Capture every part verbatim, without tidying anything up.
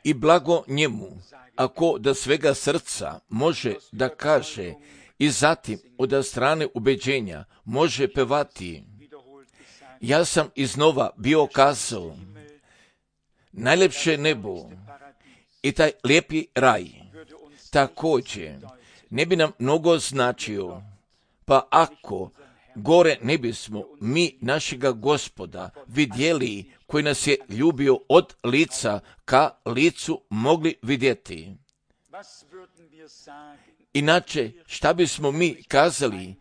I blago njemu, ako da svega srca može da kaže i zatim od strane ubeđenja može pevati. Ja sam iznova bio kazao, najljepše nebo i taj lijepi raj također ne bi nam mnogo značio, pa ako gore ne bismo mi našega Gospoda vidjeli koji nas je ljubio od lica ka licu mogli vidjeti. Inače, šta bismo mi kazali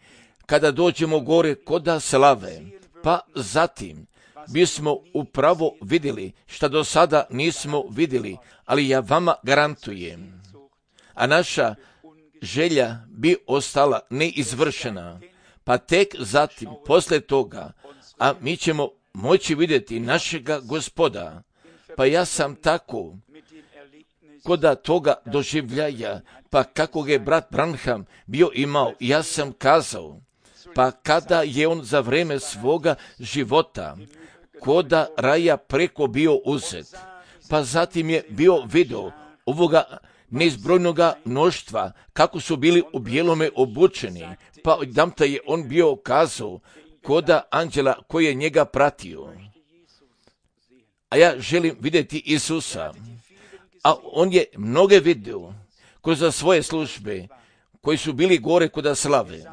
kada dođemo gore koda slave, pa zatim bismo upravo vidjeli šta do sada nismo vidjeli, ali ja vama garantujem, a naša želja bi ostala neizvršena, pa tek zatim, poslije toga, a mi ćemo moći vidjeti našega Gospoda, pa ja sam tako, koda toga doživljaja, pa kako je brat Branham bio imao, ja sam kazao, pa kada je on za vreme svoga života, koda raja preko bio uzet, pa zatim je bio video ovoga neizbrojnoga mnoštva, kako su bili u bijelome obučeni, pa odamta je on bio kazao, koda anđela koji je njega pratio. A ja želim vidjeti Isusa, a on je mnoge vidio kroz svoje službe, koji su bili gore koda slave,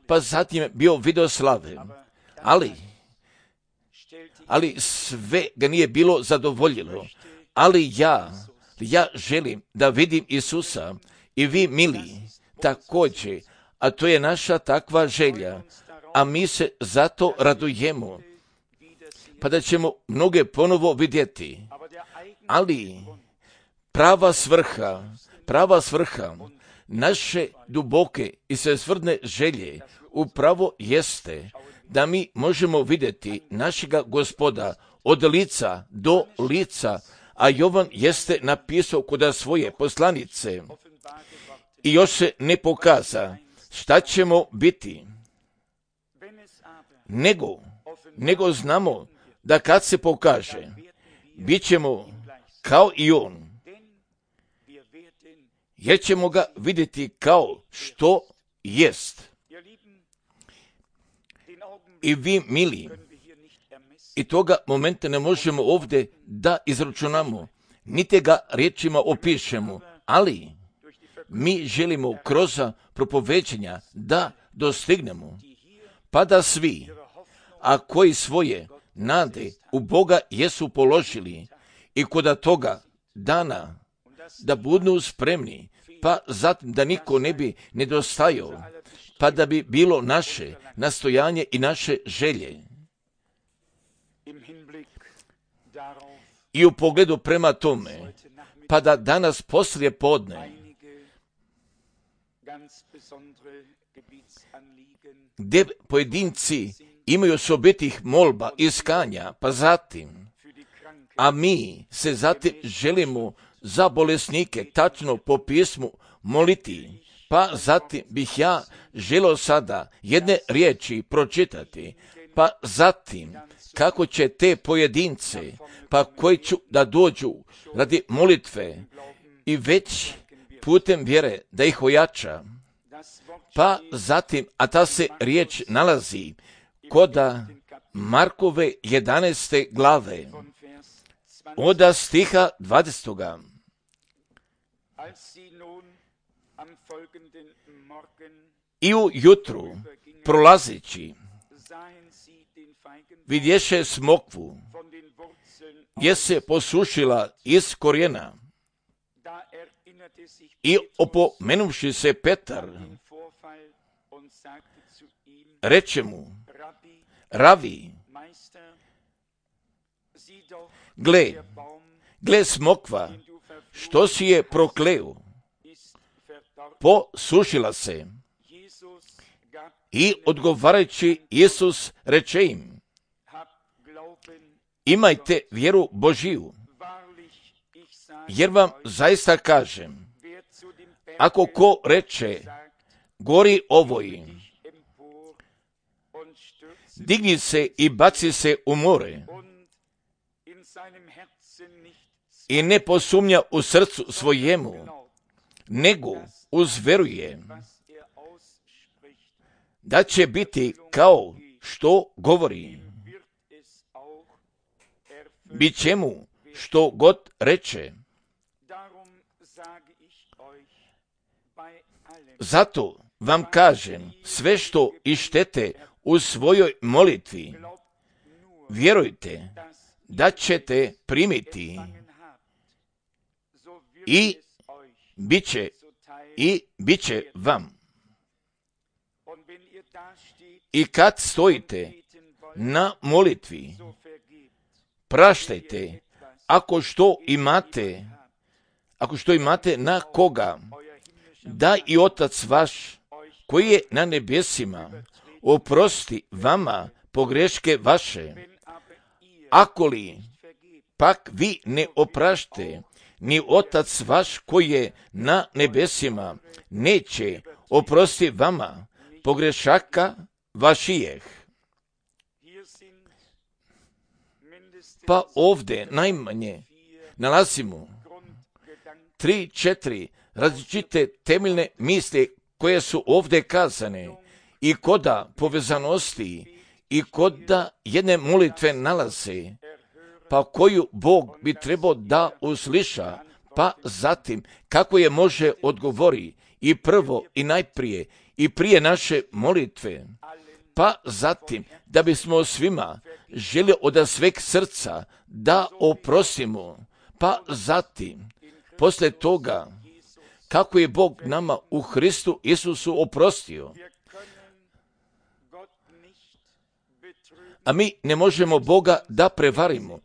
pa zatim je bio video slave, ali, ali sve ga nije bilo zadovoljilo, ali ja, ja želim da vidim Isusa i vi mili također, a to je naša takva želja, a mi se zato radujemo, pa da ćemo mnoge ponovo vidjeti, ali prava svrha, prava svrha naše duboke i svesvrdne želje upravo jeste da mi možemo vidjeti našega Gospoda od lica do lica, a Jovan jeste napisao kod svoje poslanice i još se ne pokaza šta ćemo biti, nego, nego znamo da kad se pokaže, bit ćemo kao i on, jer ćemo ga vidjeti kao što jest. I vi, mili, i toga momenta ne možemo ovdje da izračunamo, niti ga riječima opišemo, ali mi želimo kroz propoveđenja da dostignemo, pa da svi, a koji svoje nade u Boga jesu položili i koda toga dana da budu spremni, pa zatim da niko ne bi nedostajao, pa da bi bilo naše nastojanje i naše želje. I u pogledu prema tome, pa da danas poslije podne, gdje pojedinci imaju osobitih molba i iskanja, pa zatim, a mi se zatim želimo za bolesnike tačno po pismu moliti, pa zatim bih ja želio sada jedne riječi pročitati, pa zatim kako će te pojedince, pa koji ću da dođu radi molitve i već putem vjere da ih ojača, pa zatim, a ta se riječ nalazi koda Markove jedanaeste glave, od stiha dvadesetoga. I u jutru, prolazeći, vidješe smokvu, je se posušila iz korijena. I opomenuvši se Petar, reče mu, Ravi, gle, gle smokva, što si je prokleo, posušila se. I odgovarajući Isus reče im, imajte vjeru Božiju, jer vam zaista kažem, ako ko reče, gori ovoj, digni se i baci se u more, i ne posumnja u srcu svojemu, nego uzveruje da će biti kao što govori. Bit će mu što god reče. Zato vam kažem, sve što ištete u svojoj molitvi, vjerujte da ćete primiti i bit će, i bit će vam. I kad stojite na molitvi, praštajte ako što imate, ako što imate na koga, da i Otac vaš koji je na nebesima oprosti vama pogreške vaše. Ako li pak vi ne oprašte, ni Otac vaš koji je na nebesima neće oprosti vama pogrešaka vašijeh. Pa ovdje najmanje nalazimo tri, četiri različite temeljne misli koje su ovdje kazane i koda povezanosti i koda jedne molitve nalaze, pa koju Bog bi trebao da usliša, pa zatim kako je može odgovori i prvo i najprije i prije naše molitve, pa zatim da bismo svima želi od sveg srca da oprostimo, pa zatim poslije toga kako je Bog nama u Hristu Isusu oprostio. A mi ne možemo Boga da prevarimo,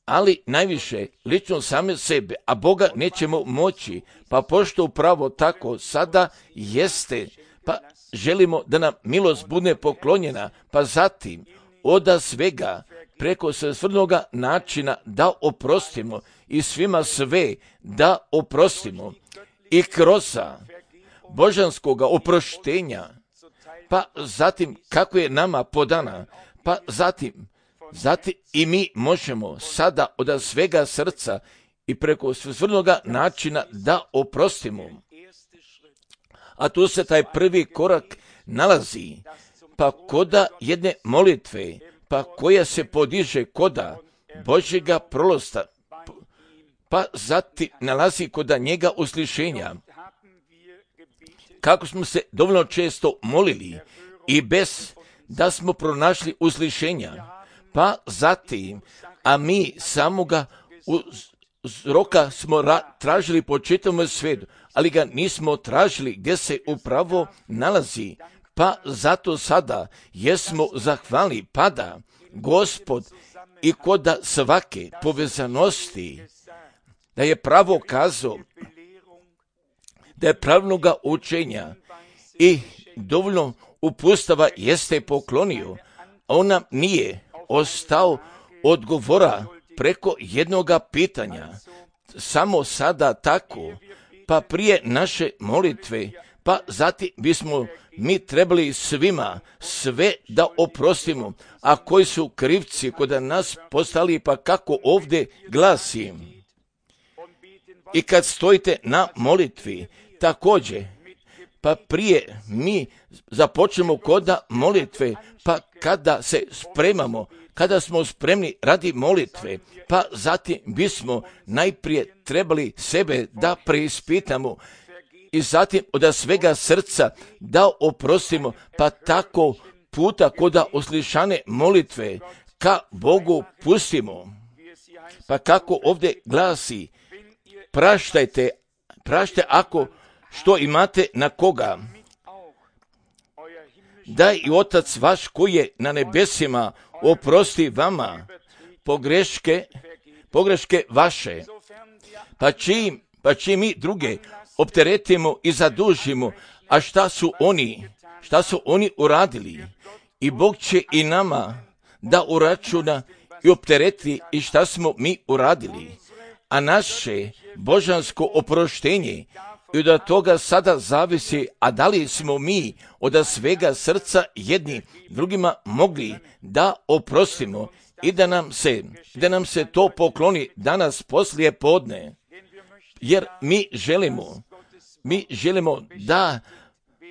ali najviše lično same sebe, a Boga nećemo moći, pa pošto upravo tako sada jeste, pa želimo da nam milost bude poklonjena, pa zatim oda svega preko svrnoga načina da oprostimo i svima sve da oprostimo i kroz božanskoga oproštenja, pa zatim kako je nama podana, pa zatim, zatim i mi možemo sada od svega srca i preko svrnoga načina da oprostimo. A tu se taj prvi korak nalazi, pa koda jedne molitve, pa koja se podiže koda Božjega prolosta, pa zatim nalazi koda njega uslišenja. Kako smo se dovoljno često molili i bez da smo pronašli uslišenja, pa zatim, a mi samoga uzroka smo ra- tražili po čitavom svijetu, ali ga nismo tražili gdje se upravo nalazi, pa zato sada jesmo zahvalni, pada Gospod i koda svake povezanosti, da je pravo kazao, da je pravnoga učenja i dovoljno upustava jeste poklonio, a on nam nije ostao odgovora preko jednoga pitanja, samo sada tako, pa prije naše molitve, pa zatim bismo mi trebali svima sve da oprostimo, a koji su krivci kod nas postali, pa kako ovdje glasi. I kad stojite na molitvi, također, pa prije mi započnemo koda molitve, pa kada se spremamo, kada smo spremni radi molitve, pa zatim bismo najprije trebali sebe da preispitamo i zatim od svega srca da oprostimo, pa tako puta koda uslišane molitve ka Bogu pustimo. Pa kako ovdje glasi, praštajte, praštajte ako što imate na koga, da i Otac vaš koji je na nebesima oprosti vama pogreške, pogreške vaše. Pa čim, pa čim mi druge opteretimo i zadužimo, a šta su oni, šta su oni uradili? I Bog će i nama da uračuna i optereti i šta smo mi uradili. A naše božansko oproštenje i od toga sada zavisi, a da li smo mi od svega srca jedni drugima mogli da oprostimo i da nam se, da nam se to pokloni danas poslije podne, jer mi želimo, mi želimo da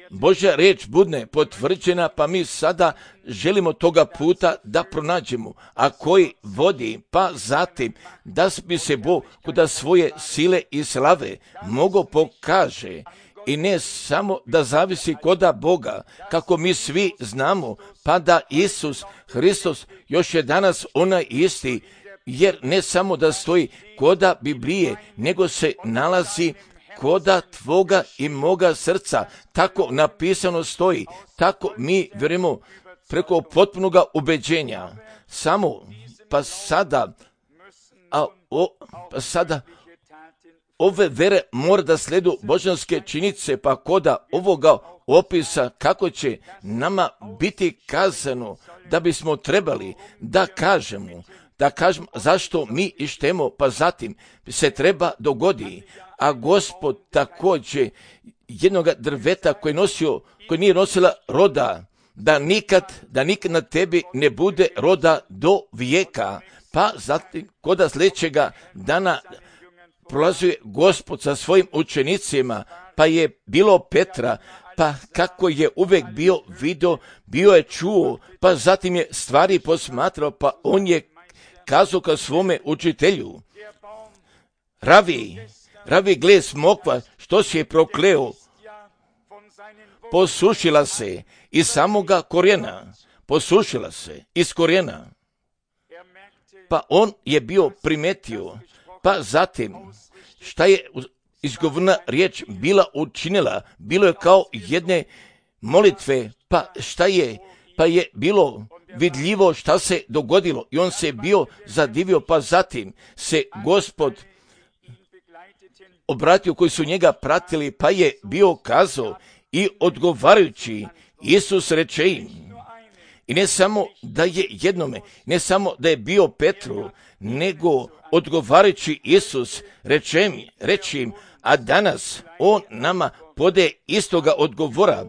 Božja riječ bude potvrđena, pa mi sada želimo toga puta da pronađemo, a koji vodi, pa zatim da bi se Bog kod svoje sile i slave mogo pokaže i ne samo da zavisi koda Boga, kako mi svi znamo, pa da Isus Hristos još je danas onaj isti, jer ne samo da stoji koda Biblije, nego se nalazi koda tvoga i moga srca, tako napisano stoji, tako mi vjerujemo preko potpunoga ubeđenja. Samo, pa sada, a o, pa sada, ove vere mora da sledu božanske činjice, pa koda ovoga opisa kako će nama biti kazano da bismo trebali da kažemo, da kažemo zašto mi ištemo, pa zatim se treba dogodi. A Gospod također jednoga drveta koji nosio, koji nije nosila roda, da nikad, da nikad na tebi ne bude roda do vijeka, pa zatim koda sljedećega dana prolazuje Gospod sa svojim učenicima, pa je bilo Petra, pa kako je uvijek bio vidio, bio je čuo, pa zatim je stvari posmatrao, pa on je kazao ka svome učitelju, Ravi, Ravi, gle smokva, što si je prokleo, posušila se iz samoga korijena, posušila se iz korijena. Pa on je bio primetio, pa zatim šta je izgovorna riječ bila učinila, bilo je kao jedne molitve, pa šta je, pa je bilo vidljivo šta se dogodilo i on se bio zadivio, pa zatim se Gospod obratio koji su njega pratili, pa je bio kazao i odgovarajući Isus reče im, i ne samo da je jednome, ne samo da je bio Petru, nego odgovarajući Isus reče im, reče im, a danas on nama pode istoga odgovora.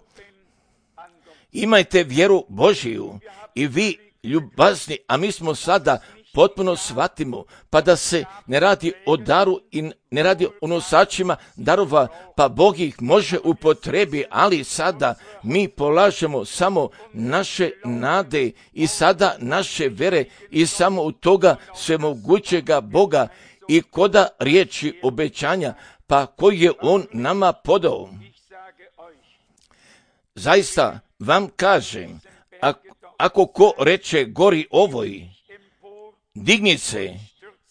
Imajte vjeru Božiju i vi ljubazni, a mi smo sada potpuno shvatimo, pa da se ne radi o daru i ne radi o nosačima darova, pa Bog ih može upotrebi, ali sada mi polažemo samo naše nade i sada naše vere i samo u toga svemogućega Boga i koda riječi obećanja, pa koji je on nama podao. Zaista vam kažem, ako, ako ko reče gori ovoj, digni se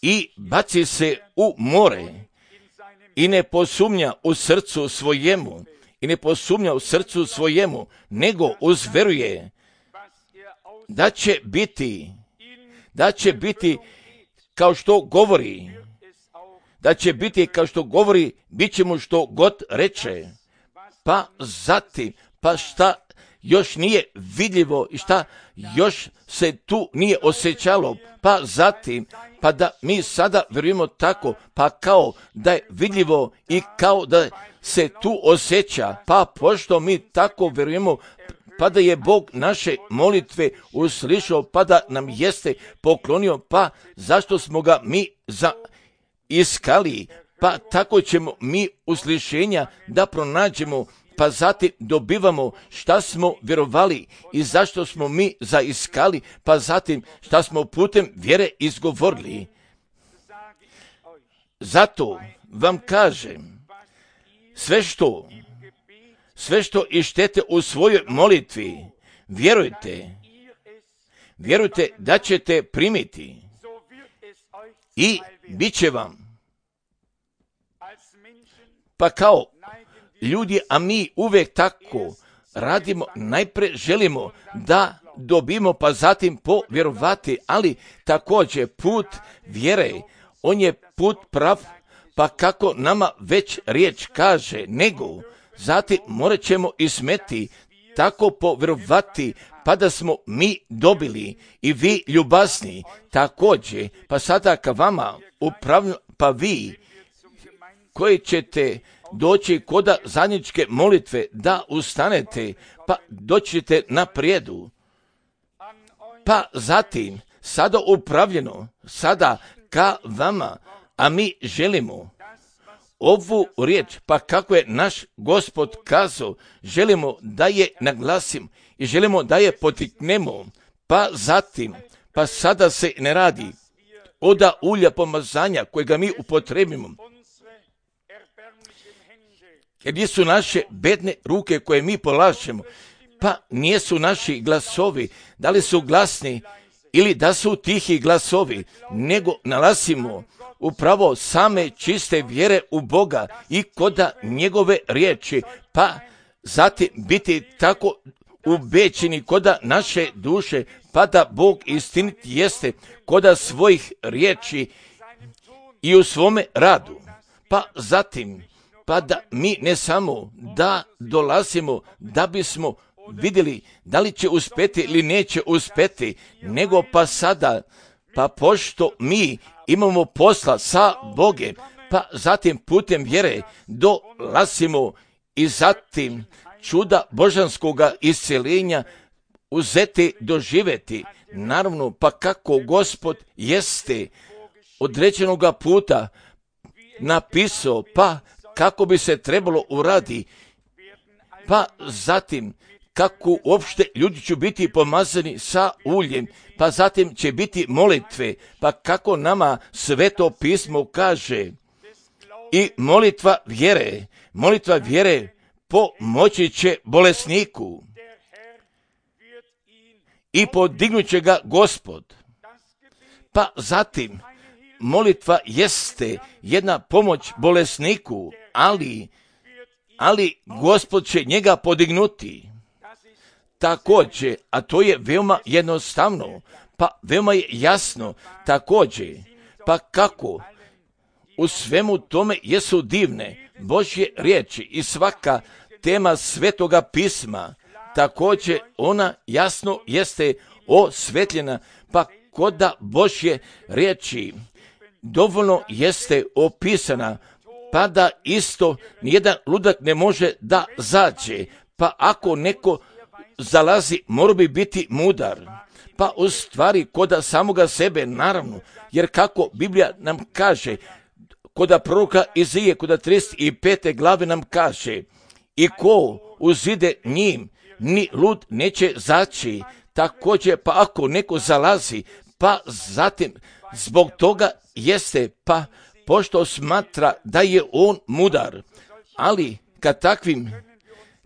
i baci se u more i ne posumnja u srcu svojemu, i ne posumnja u srcu svojemu, nego uzveruje da će biti, da će biti kao što govori, da će biti kao što govori, bit će mu što god reče. Pa zatim, pa šta još nije vidljivo i šta još se tu nije osjećalo, pa zatim, pa da mi sada vjerujemo tako, pa kao da je vidljivo i kao da se tu osjeća, pa pošto mi tako vjerujemo, pa da je Bog naše molitve uslišao, pa da nam jeste poklonio, pa zašto smo ga mi za iskali, pa tako ćemo mi uslišenja da pronađemo, pa zatim dobivamo šta smo vjerovali i zašto smo mi zaiskali, pa zatim šta smo putem vjere izgovorili. Zato vam kažem, sve što, sve što ištete u svojoj molitvi, vjerujte, vjerujte da ćete primiti i bit će vam. Pa kao ljudi, a mi uvijek tako radimo, najprije želimo da dobimo, pa zatim povjerovati, ali također put vjere, on je put prav, pa kako nama već riječ kaže, nego zatim morat ćemo i smeti tako povjerovati, pa da smo mi dobili i vi ljubazni također, pa sada ka vama upravno, pa vi koji ćete doći koda zajedničke molitve da ustanete, pa doćete na prijedu. Pa zatim sada upravljeno, sada ka vama, a mi želimo ovu riječ, pa kako je naš Gospod kazao, želimo da je naglasimo i želimo da je potiknemo, pa zatim, pa sada se ne radi oda ulja pomazanja kojega mi upotrebimo, jer nisu naše bedne ruke koje mi polažemo, pa nijesu naši glasovi, da li su glasni ili da su tihi glasovi, nego nalazimo upravo same čiste vjere u Boga i koda njegove riječi, pa zatim biti tako ubećeni koda naše duše, pa da Bog istinit jeste koda svojih riječi i u svome radu, pa zatim, pa da mi ne samo da dolazimo da bismo vidjeli da li će uspjeti ili neće uspjeti, nego pa sada, pa pošto mi imamo posla sa Bogem, pa zatim putem vjere dolazimo i zatim čuda božanskoga isceljenja uzeti, doživjeti. Naravno, pa kako Gospod jeste određenoga puta napisao, pa kako bi se trebalo uradi, pa zatim kako uopšte ljudi će biti pomazani sa uljem, pa zatim će biti molitve, pa kako nama Sveto pismo kaže, i molitva vjere, molitva vjere pomoći će bolesniku i podignut će ga Gospod. Pa zatim molitva jeste jedna pomoć bolesniku, ali, ali Gospod će njega podignuti. Također, a to je veoma jednostavno, pa veoma je jasno, također, pa kako u svemu tome jesu divne Božje riječi i svaka tema Svetoga pisma, također ona jasno jeste osvetljena, pa koda Božje riječi dovoljno jeste opisana, pa da isto nijedan ludak ne može da zađe, pa ako neko zalazi, mora bi biti mudar, pa u stvari koda samoga sebe, naravno, jer kako Biblija nam kaže, koda proroka Izije, koda trideset pete glave nam kaže, i ko uzide njim, ni lud neće zaći, također pa ako neko zalazi, pa zatim zbog toga jeste, pa pošto smatra da je on mudar, ali kad takvim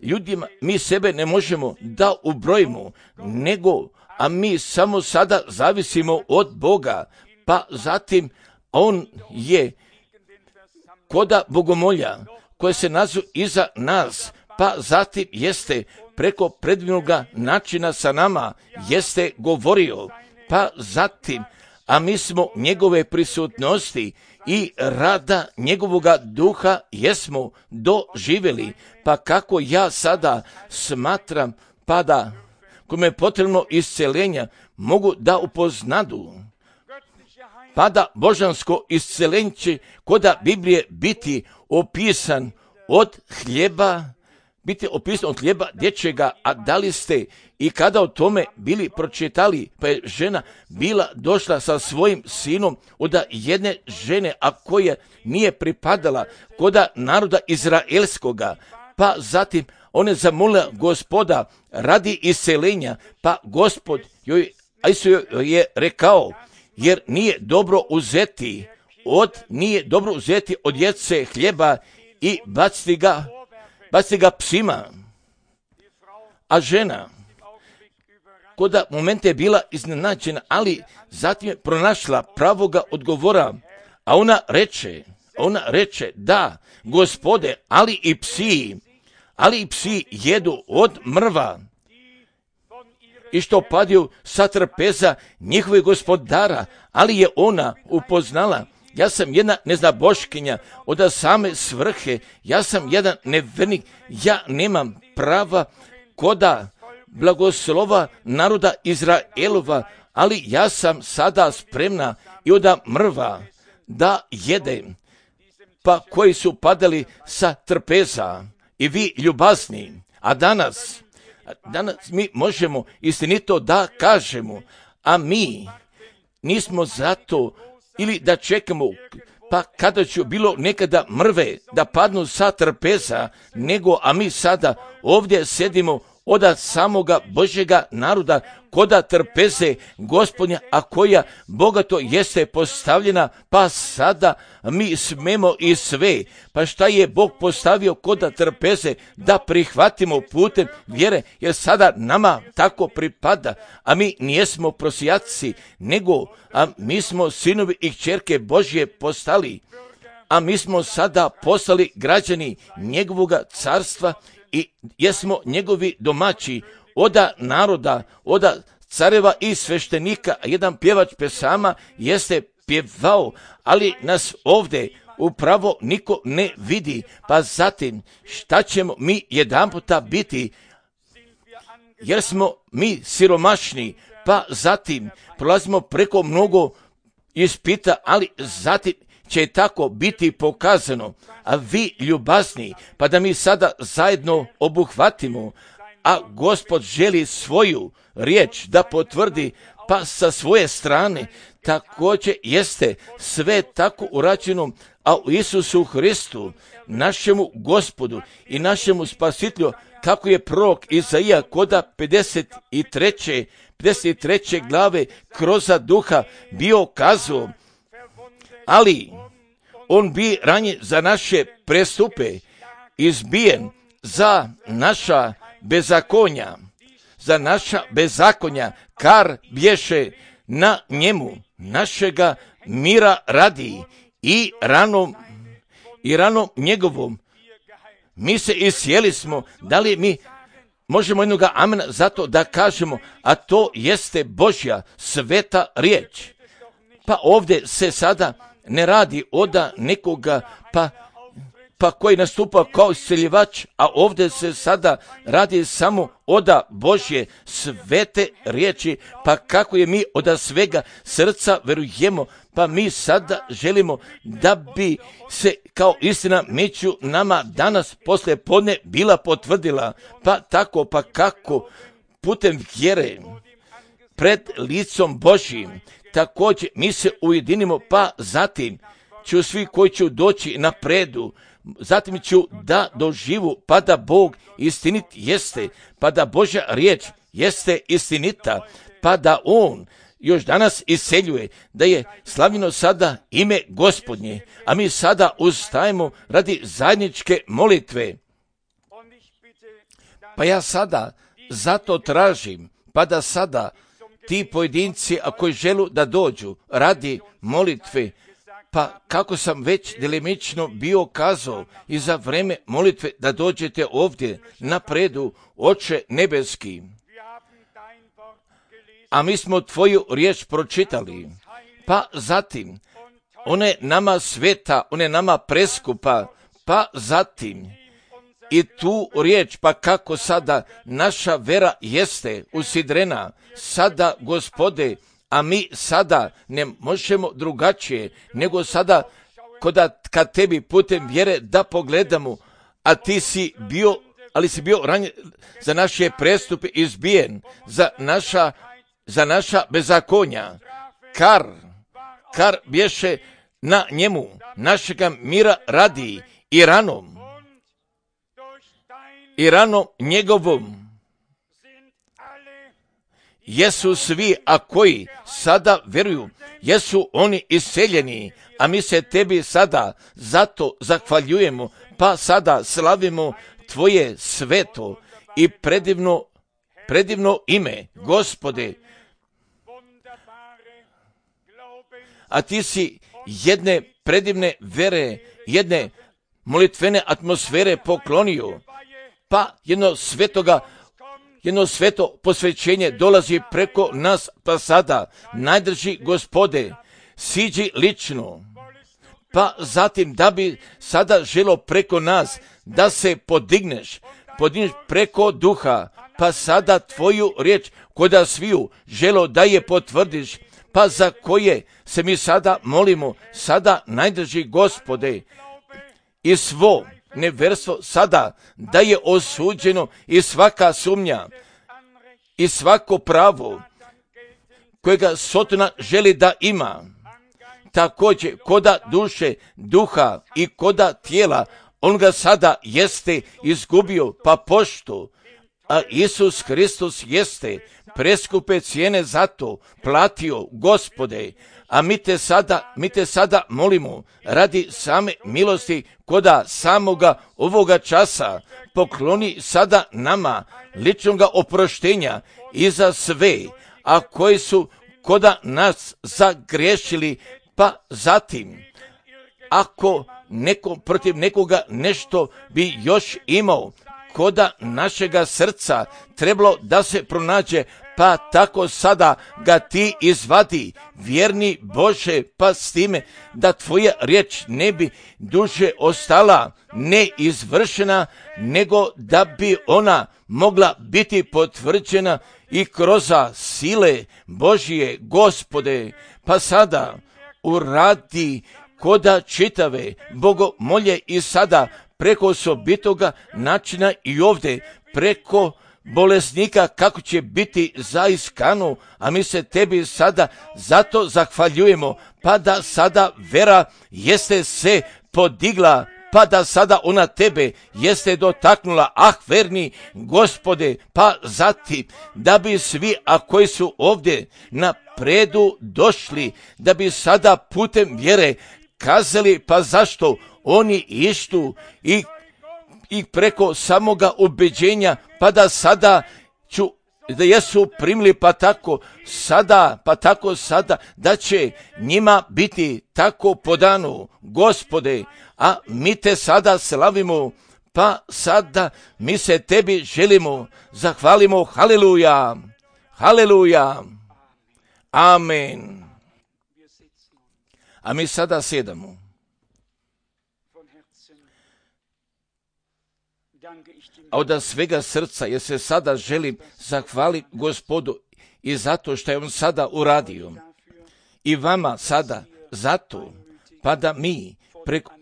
ljudima mi sebe ne možemo da ubrojimo, nego, a mi samo sada zavisimo od Boga, pa zatim on je koda bogomolja koje se nazu iza nas, pa zatim jeste preko predivnoga načina sa nama jeste govorio, pa zatim, a mi smo njegove prisutnosti i rada njegovoga duha jesmo doživjeli, pa kako ja sada smatram, pa da kome je potrebno isceljenja mogu da upoznadu, pa da božansko isceljenje će koda Biblije biti opisan od hljeba, biti opisan od hljeba dječjega, a da li ste i kada o tome bili pročitali, pa je žena bila došla sa svojim sinom od jedne žene, a koja nije pripadala koda naroda izraelskoga, pa zatim ona je zamolila Gospoda radi isceljenja, pa Gospod joj, joj je rekao, jer nije dobro uzeti od, nije dobro uzeti od djece hljeba i baciti ga, baciti ga psima. A žena koda momente je bila iznenađena, ali zatim je pronašla pravoga odgovora, a ona reče, ona reče, da, Gospode, ali i psi, ali i psi jedu od mrva i što padaju sa trpeza njihovih gospodara, ali je ona upoznala, ja sam jedna neznaboškinja od same svrhe, ja sam jedan nevernik, ja nemam prava koda blagoslova naroda Izraelova, ali ja sam sada spremna i od mrva da jedem, pa koji su padali sa trpeza i vi ljubazni, a danas, danas mi možemo istinito da kažemo, a mi nismo zato ili da čekamo pa kada će bilo nekada mrve da padnu sa trpeza, nego a mi sada ovdje sedimo oda samoga Božjega naroda koda trpeze Gospodnja, a koja bogato jeste postavljena, pa sada mi smemo i sve. Pa šta je Bog postavio koda trpeze da prihvatimo putem vjere, jer sada nama tako pripada, a mi nijesmo prosjaci, nego a mi smo sinovi i kćerke Božje postali, a mi smo sada postali građani njegovoga carstva i jesmo njegovi domaći, oda naroda, oda careva i sveštenika. Jedan pjevač pesama jeste pjevao, ali nas ovdje upravo niko ne vidi, pa zatim šta ćemo mi jedanputa biti, jer smo mi siromašni, pa zatim prolazimo preko mnogo ispita, ali zatim će tako biti pokazano, a vi ljubazni, pa da mi sada zajedno obuhvatimo, a Gospod želi svoju riječ da potvrdi, pa sa svoje strane također jeste sve tako urađeno, a u Isusu Hristu, našemu Gospodu i našemu Spasitelju, kako je prorok Izaija koda pedeset treće pedeset treće glave kroz duha bio kazao, ali on bi ranjen za naše prestupe, izbijen za naša bezakonja, za naša bezakonja, kar bješe na njemu našega mira radi i ranom, i ranom njegovom. Mi se isjeli smo, da li mi možemo jednoga amena zato da kažemo, a to jeste Božja sveta riječ. Pa ovdje se sada ne radi oda nekoga pa, pa koji nastupa kao isceljivač, a ovdje se sada radi samo oda Božje svete riječi, pa kako je mi oda svega srca verujemo, pa mi sada želimo da bi se kao istina među nama danas poslije podne bila potvrdila, pa tako pa kako putem vjere pred licom Božjim također mi se ujedinimo, pa zatim ću svi koji će doći napredu, zatim ću da doživu, pa da Bog istinit jeste, pa da Božja riječ jeste istinita, pa da On još danas iseljuje, da je slavljeno sada ime Gospodnje, a mi sada ustajemo radi zajedničke molitve. Pa ja sada zato tražim, pa da sada ti pojedinci, a koji želu da dođu radi molitve, pa kako sam već delimično bio kazao i za vreme molitve da dođete ovdje napredu, Oče nebeski. A mi smo tvoju riječ pročitali, pa zatim ona je nama sveta, ona je nama preskupa, pa zatim i tu riječ, pa kako sada naša vera jeste usidrena, sada Gospode, a mi sada ne možemo drugačije, nego sada koda kad tebi putem vjere da pogledamo, a ti si bio, ali si bio ranjen za naše prestupe izbijen, za naša, za naša bezakonja, kar, kar bješe na njemu, našega mira radi i ranom, i ranom njegovom. Jesu svi, a koji sada vjeruju, jesu oni iseljeni, a mi se tebi sada zato zahvaljujemo, pa sada slavimo tvoje sveto i predivno, predivno ime, Gospode. A ti si jedne predivne vere, jedne molitvene atmosfere poklonio, pa jedno svetoga Jedno sveto posvećenje dolazi preko nas, pa sada najdrži Gospode, siđi lično, pa zatim da bi sada želo preko nas da se podigneš, podigneš preko duha, pa sada tvoju riječ koda sviju želo da je potvrdiš, pa za koje se mi sada molimo, sada najdrži Gospode i svo neverstvo sada da je osuđeno i svaka sumnja i svako pravo, kojega Sotona želi da ima. Također, koda duše, duha i koda tijela, on ga sada jeste izgubio, pa pošto, a Isus Hristos jeste preskupe cijene za to platio, Gospode, a mi te sada, mi te sada molimo radi same milosti koda samoga ovoga časa, pokloni sada nama ličnoga oproštenja i za sve, a koji su koda nas zagriješili, pa zatim, ako neko protiv nekoga nešto bi još imao, koda našega srca trebalo da se pronađe, pa tako sada ga ti izvadi, vjerni Bože, pa s time da tvoja riječ ne bi duže ostala neizvršena, nego da bi ona mogla biti potvrđena i kroz sile Božije, Gospode, pa sada uradi koda čitave bogomolje i sada preko osobitoga načina i ovdje preko bolesnika kako će biti zaiskano, a mi se tebi sada zato zahvaljujemo, pa da sada vera jeste se podigla, pa da sada ona tebe jeste dotaknula, ah verni Gospode, pa zatim da bi svi, a koji su ovdje na predu došli, da bi sada putem vjere kazali, pa zašto oni ištu i, i preko samoga ubeđenja, pa da sada ću, da jesu primili, pa tako sada, pa tako sada, da će njima biti tako podano, Gospode, a mi te sada slavimo, pa sada mi se tebi želimo, zahvalimo, haleluja, haleluja, amen. A mi sada sedamo. A od svega srca, jer se sada želim zahvaliti Gospodu i zato što je on sada uradio. I vama sada zato, pa da mi, preko,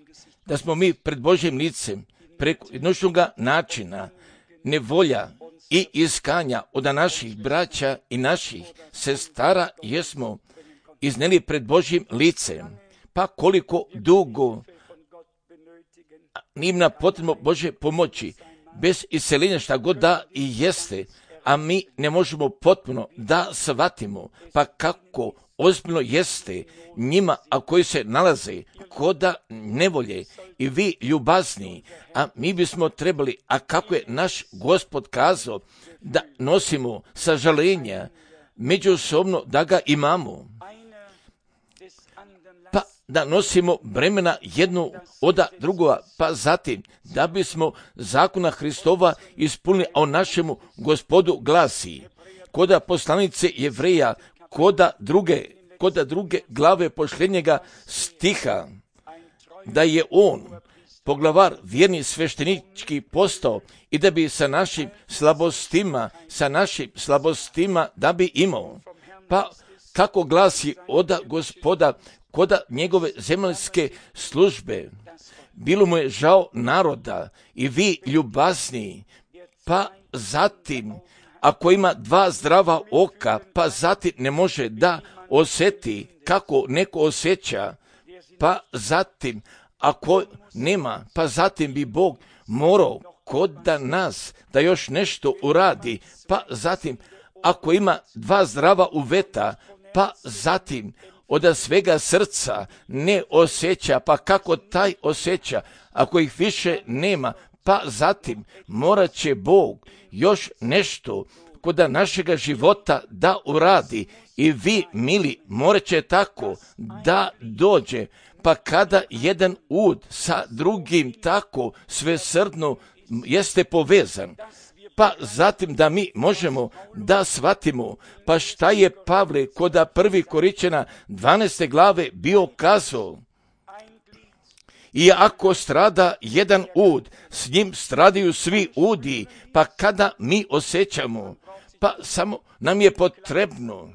da smo mi pred Božjim licem, preko jednostavnoga načina, nevolja i iskanja od naših braća i naših sestara jesmo izneli pred Božjim licem. Pa koliko dugo njima potrebno Božje pomoći, bez iseljenja šta god da i jeste, a mi ne možemo potpuno da shvatimo, pa kako ozbiljno jeste njima, a koji se nalaze koda nevolje i vi ljubazni, a mi bismo trebali, a kako je naš Gospod kazao, da nosimo sažalenja, međusobno da ga imamo, pa da nosimo bremena jednu od drugoga, pa zatim da bismo zakona Hristova ispunili, a o našemu Gospodu glasi, koda poslanice Jevreja, koda druge, koda druge glave posljednjega stiha, da je on poglavar vjerni sveštenički postao i da bi sa našim slabostima, sa našim slabostima da bi imao. Pa kako glasi oda Gospoda koda njegove zemaljske službe, bilo mu je žao naroda i vi ljubazni, pa zatim ako ima dva zdrava oka, pa zatim ne može da osjeti kako neko osjeća, pa zatim ako nema, pa zatim bi Bog morao kod da nas da još nešto uradi, pa zatim ako ima dva zdrava uveta, pa zatim od svega srca ne osjeća, pa kako taj osjeća, ako ih više nema, pa zatim morat će Bog još nešto kod našega života da uradi i vi, mili, morat će tako da dođe, pa kada jedan ud sa drugim tako svesrdno jeste povezan, pa zatim da mi možemo da shvatimo, pa šta je Pavle koda prvi Koričana dvanaeste glave bio kazao, i ako strada jedan ud, s njim stradaju svi udi, pa kada mi osjećamo, pa samo nam je potrebno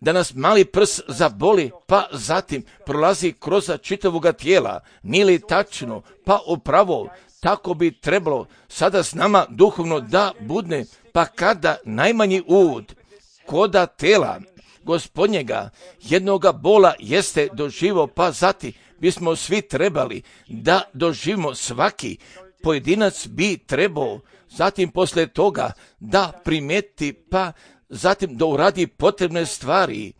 da nas mali prs zaboli, pa zatim prolazi kroz čitavoga tijela, nije li tačno, pa upravo tako bi trebalo sada s nama duhovno da budne, pa kada najmanji ud koda tela Gospodnjega jednoga bola jeste doživo, pa zati bismo svi trebali da doživimo, svaki pojedinac bi trebao zatim posle toga da primeti, pa zatim da uradi potrebne stvari.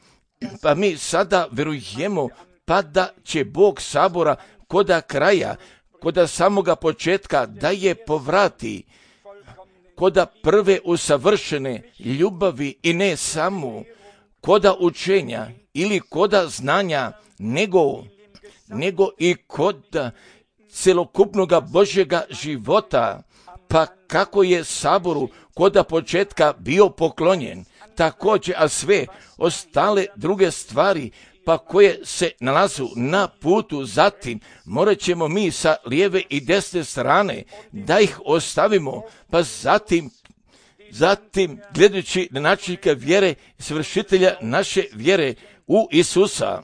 Pa mi sada verujemo pa da će Bog sabora koda kraja, koda samoga početka da je povrati, koda prve usavršene ljubavi i ne samo koda učenja ili koda znanja, nego, nego i koda celokupnoga Božjega života, pa kako je saboru koda početka bio poklonjen, također, a sve ostale druge stvari pa koje se nalazu na putu, zatim morat ćemo mi sa lijeve i desne strane da ih ostavimo, pa zatim zatim gledajući na načelnika vjere, svršitelja naše vjere u Isusa,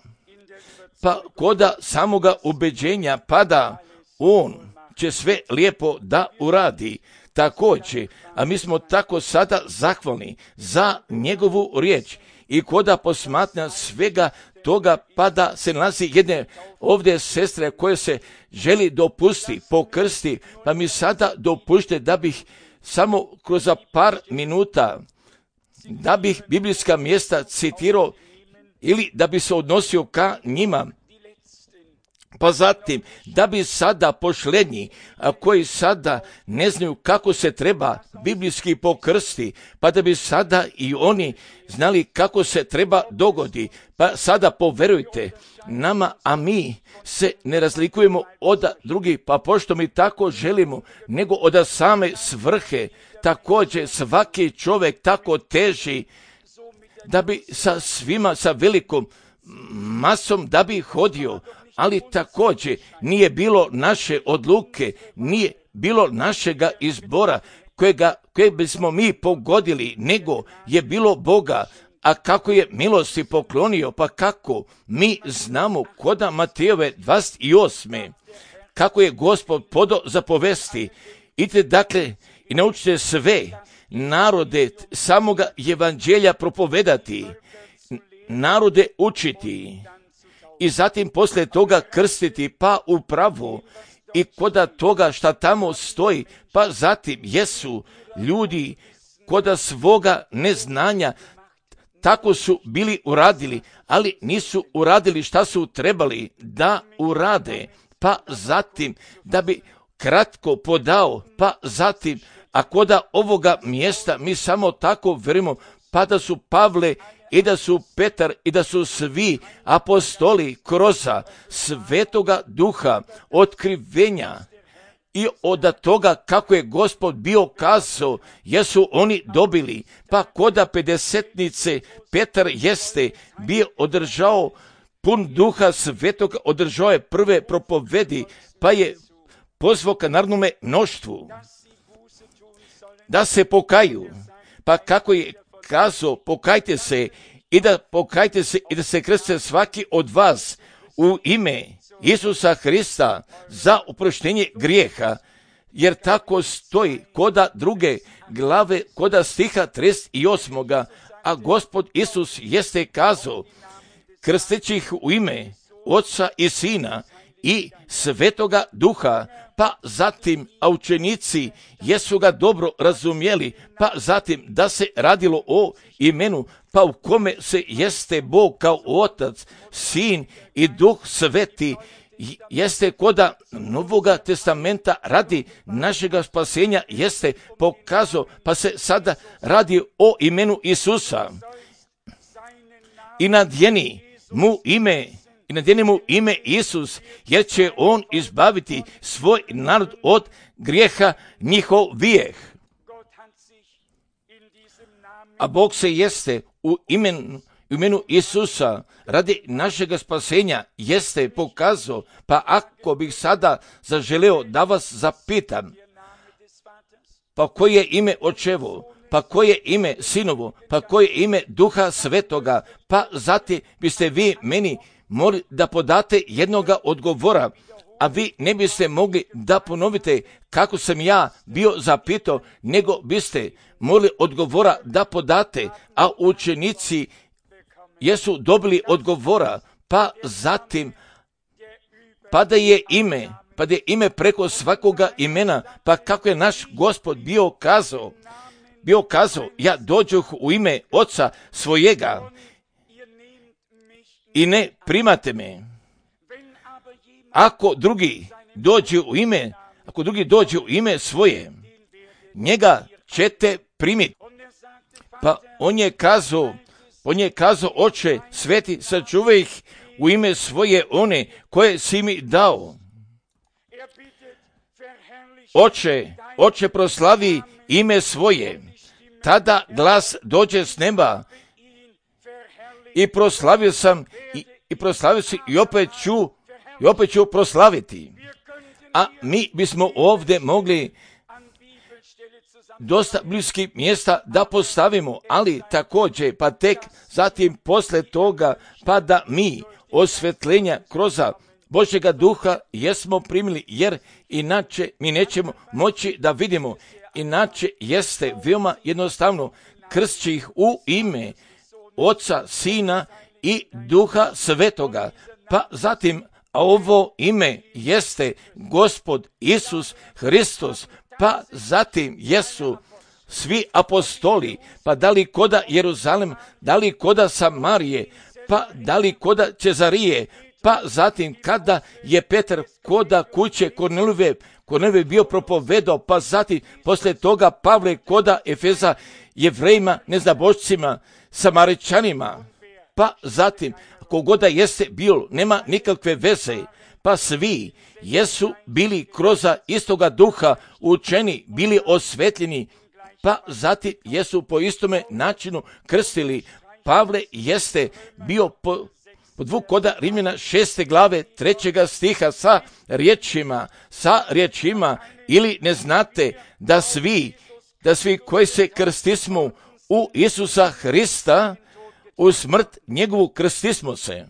pa koda samoga ubeđenja pada, on će sve lijepo da uradi. Također, a mi smo tako sada zahvalni za njegovu riječ i koda posmatna svega toga, pa da se nalazi jedne ovdje sestre koje se želi dopusti, pokrsti, pa mi sada dopušte da bih samo kroz par minuta, da bih biblijska mjesta citirao ili da bi se odnosio ka njima. Pa zatim, da bi sada pošlednji, a koji sada ne znaju kako se treba biblijski pokrsti, pa da bi sada i oni znali kako se treba dogodi. Pa sada poverujte nama, a mi se ne razlikujemo od drugih, pa pošto mi tako želimo, nego od same svrhe. Također svaki čovjek tako teži da bi sa svima, sa velikom masom da bi hodio, ali također nije bilo naše odluke, nije bilo našega izbora kojega, koje bismo mi pogodili, nego je bilo Boga. A kako je milosti poklonio, pa kako mi znamo koda Matejove dvadeset osme kako je Gospod podo zapovesti. Idite dakle i naučite sve narode samoga evanđelja propovedati, narode učiti i zatim poslije toga krstiti, pa upravo i koda toga šta tamo stoji, pa zatim jesu ljudi koda svoga neznanja tako su bili uradili, ali nisu uradili šta su trebali da urade, pa zatim da bi kratko podao, pa zatim, a koda ovoga mjesta mi samo tako verimo, pa da su Pavle i da su Petar i da su svi apostoli kroz Svetoga Duha otkrivenja i od toga kako je Gospod bio kazao, jesu oni dobili, pa koda pedesetnice Petar jeste bio održao pun Duha Svetoga, održao je prve propovedi, pa je pozvao ka narodnome mnoštvu da se pokaju, pa kako je kazao, pokajte se i da pokajte se i da se krste svaki od vas u ime Isusa Hrista za oproštenje grijeha, jer tako stoji koda druge glave, koda stiha trideset osam. A Gospod Isus jeste kazao, krsteći ih u ime Oca i Sina i Svetoga Duha, pa zatim, a učenici jesu ga dobro razumjeli, pa zatim da se radilo o imenu, pa u kome se jeste Bog kao Otac, Sin i Duh Sveti, jeste koda Novoga testamenta radi našega spasenja jeste pokazao, pa se sada radi o imenu Isusa. I nadjeni mu ime I nadjeni mu ime Isus, jer će on izbaviti svoj narod od grijeha njihovih. A Bog se jeste u imenu, u imenu Isusa radi našega spasenja jeste pokazao, pa ako bih sada zaželeo da vas zapitam, pa koje je ime Očevo, pa koje ime Sinovo, pa koje ime Duha Svetoga, pa zatim biste vi meni morali da podate jednoga odgovora, a vi ne biste mogli da ponovite kako sam ja bio zapitao, nego biste mogli odgovora da podate, a učenici jesu dobili odgovora, pa zatim pa da je ime, pa da je ime preko svakoga imena, pa kako je naš Gospod bio kazao, bio kazao, ja dođoh u ime Oca svojega i ne primate me. Ako drugi dođe u ime, ako drugi dođe u ime svoje, njega ćete primiti. Pa on je kazao, on je kazao, Oče sveti, sačuvaj ih u ime svoje one koje si mi dao. Oče, Oče proslavi ime svoje. Tada glas dođe s neba i proslavio sam i, i proslavio si i opet ću i opet ću proslaviti. A mi bismo ovdje mogli dosta bliskih mjesta da postavimo, ali također pa tek zatim posle toga pa da mi osvetljenja kroz Božjega duha jesmo primili, jer inače mi nećemo moći da vidimo. Inače jeste veoma jednostavno, kršći ih u ime Oca, Sina i Duha Svetoga. Pa zatim, a ovo ime jeste Gospod Isus Hristos, pa zatim jesu svi apostoli, pa da li koda Jeruzalem, da li koda Samarije, pa da li koda Cezarije, pa zatim kada je Petar koda kuće Kornelijeve, Kornelijeve bio propovedao, pa zatim posle toga Pavle koda Efeza, Jevrejima, neznabošcima, Samaričanima, pa zatim kogoda jeste bilo, nema nikakve veze, pa svi jesu bili kroz istoga duha učeni, bili osvetljeni, pa zatim jesu po istome načinu krstili. Pavle jeste bio po, podvuk koda Rimljana šeste glave trećega stiha sa riječima, sa riječima, ili ne znate da svi, da svi koji se krstismo u Isusa Hrista, u smrt njegovu krstismo se.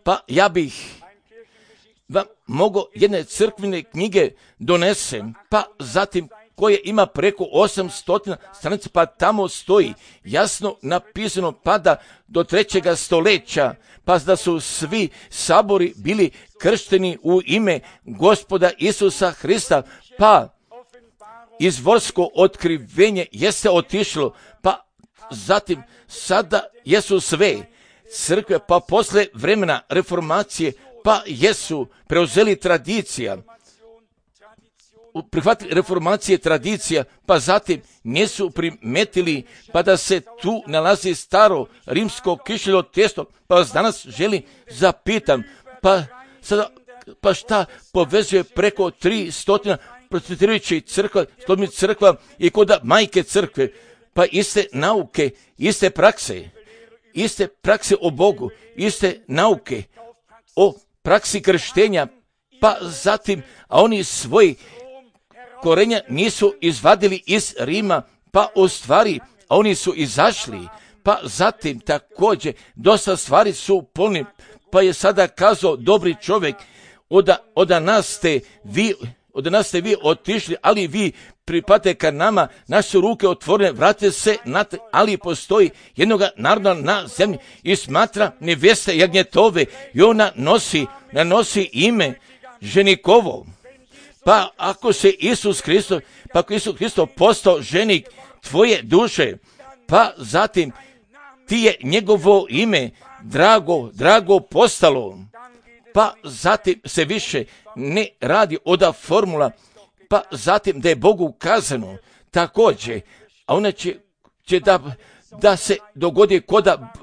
Pa ja bih vam mogao jedne crkvene knjige donesem, pa zatim koje ima preko osamsto stranica, pa tamo stoji jasno napisano, pa da do trećega stoljeća, pa da su svi sabori bili kršteni u ime Gospoda Isusa Hrista, pa izvorsko otkrivenje jeste otišlo, pa zatim sada jesu sve crkve, pa posle vremena reformacije, pa jesu preuzeli tradicija, prihvatili reformacije tradicija, pa zatim nisu primetili, pa da se tu nalazi staro rimsko kišljivo testo, pa vas danas želim zapitam, pa sada, pa šta povezuje preko tri stotina procvjetirajućih crkva, stotnih crkva i koda majke crkve, pa iste nauke, iste prakse, iste prakse o Bogu, iste nauke o praksi krštenja, pa zatim, a oni svoji korenja nisu izvadili iz Rima, pa u stvari, a oni su izašli, pa zatim također dosta stvari su polni, pa je sada kazao dobri čovjek, oda, oda nas ste vi, od nas ste vi otišli, ali vi pripate ka nama, naše su ruke otvorene, vrate se, natrag, ali postoji jednoga naroda na zemlji i smatra neveste jagnjetove i ona nosi, nosi ime ženikovo. Pa ako se Isus Hristos, pa ako Isus Hristos postao ženik tvoje duše, pa zatim ti je njegovo ime drago, drago postalo, pa zatim se više ne radi oda formula, pa zatim da je Bogu ukazano također, a ona će, će da, da se dogodi koda,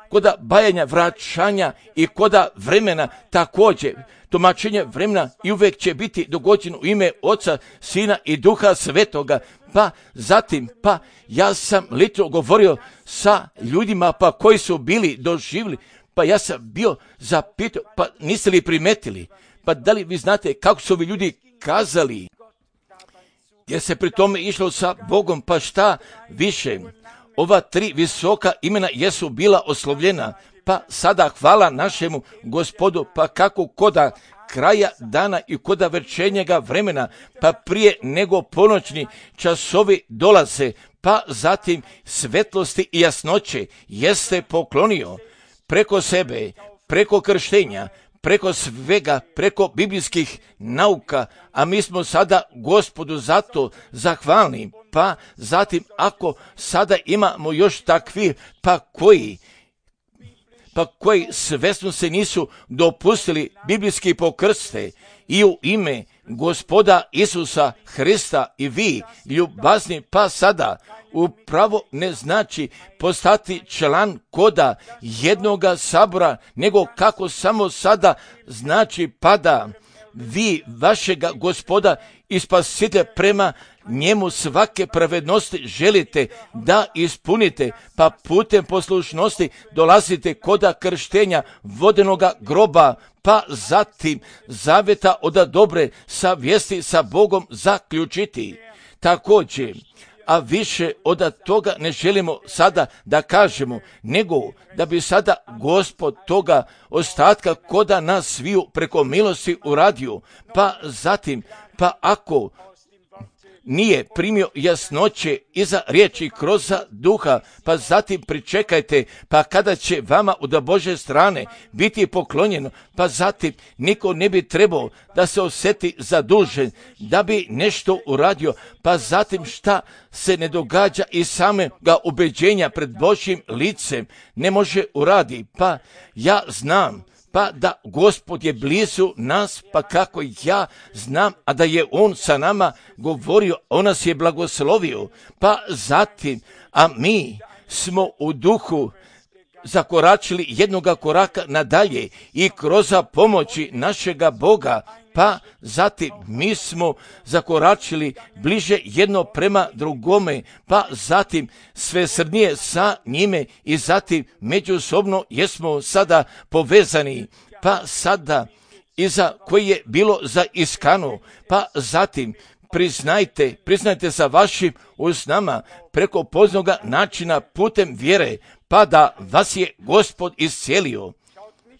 koda bajanja, vraćanja i koda vremena također, tumačenje vremena i uvijek će biti dogođeno u ime Oca, Sina i Duha Svetoga. Pa zatim, pa ja sam lično govorio sa ljudima pa koji su bili doživjeli, pa ja sam bio zapitao, pa niste li primetili, pa da li vi znate kako su ovi ljudi kazali, jer se pri tome išlo sa Bogom, pa šta više, ova tri visoka imena jesu bila oslovljena, pa sada hvala našemu Gospodu, pa kako koda kraja dana i kod večernjega vremena, pa prije nego ponoćni časovi dolaze, pa zatim svetlosti i jasnoće jeste poklonio preko sebe, preko krštenja, preko svega, preko biblijskih nauka, a mi smo sada Gospodu zato zahvalni. Pa zatim ako sada imamo još takvi, pa koji pa koji svesno se nisu dopustili biblijski pokrste i u ime Gospoda Isusa Hrista i vi, ljubazni, pa sada upravo ne znači postati član koda jednoga sabora, nego kako samo sada znači pada vi vašega Gospoda i Spasitelja prema njemu svake pravednosti želite da ispunite, pa putem poslušnosti dolazite koda krštenja vodenoga groba, pa zatim zaveta od dobre savjesti sa Bogom zaključiti. Također, a više od toga ne želimo sada da kažemo, nego da bi sada Gospod toga ostatka koda nas sviju preko milosti uradio, pa zatim, pa ako nije primio jasnoće iza riječi kroz duha, pa zatim pričekajte, pa kada će vama od Božje strane biti poklonjeno, pa zatim niko ne bi trebao da se osjeti zadužen, da bi nešto uradio, pa zatim šta se ne događa i samega ubeđenja pred Božjim licem ne može uradi. Pa ja znam pa da Gospod je blizu nas, pa kako ja znam, a da je On sa nama govorio, On nas je blagoslovio, pa zatim, a mi smo u duhu zakoračili jednoga koraka nadalje i kroz pomoći našega Boga, pa zatim mi smo zakoračili bliže jedno prema drugome, pa zatim sve srdnije sa njime i zatim međusobno jesmo sada povezani, pa sada iza koji je bilo za iskanu, pa zatim priznajte, priznajte sa vašim usnama preko poznoga načina putem vjere, pa da vas je Gospod iscijelio.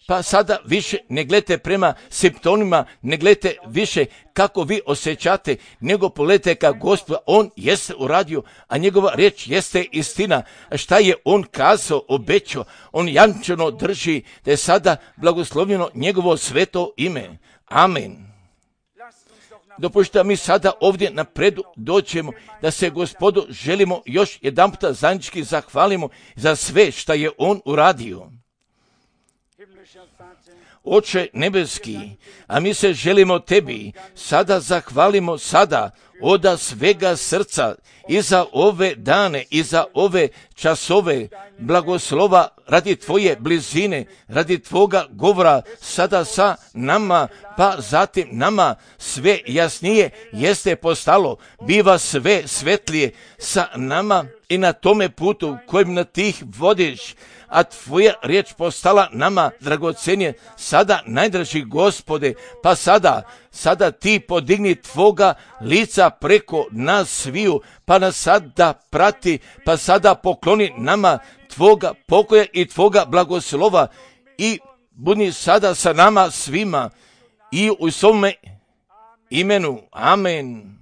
Pa sada više ne gledajte prema simptomima, ne gledajte više kako vi osjećate, nego pogledajte ka Gospod, On jeste uradio, a njegova riječ jeste istina. Šta je On kazao, obećao, On jamčeno drži da je sada blagoslovljeno njegovo sveto ime. Amen. Dopušta mi sada ovdje napredu dođemo da se Gospodu želimo još jedan puta zajednički zahvalimo za sve što je On uradio. Oče nebeski, a mi se želimo tebi sada zahvalimo sada od svega srca i za ove dane i za ove časove blagoslova radi tvoje blizine, radi tvoga govora sada sa nama, pa zatim nama sve jasnije jeste postalo, biva sve svetlije sa nama i na tome putu kojim na tih vodiš, a tvoja riječ postala nama dragocenije, sada najdraži Gospode, pa sada, sada ti podigni tvoga lica preko nas sviju, pa nas sada prati, pa sada pokloni nama tvoga pokoja i tvoga blagoslova i budi sada sa nama svima i u svome imenu. Amen.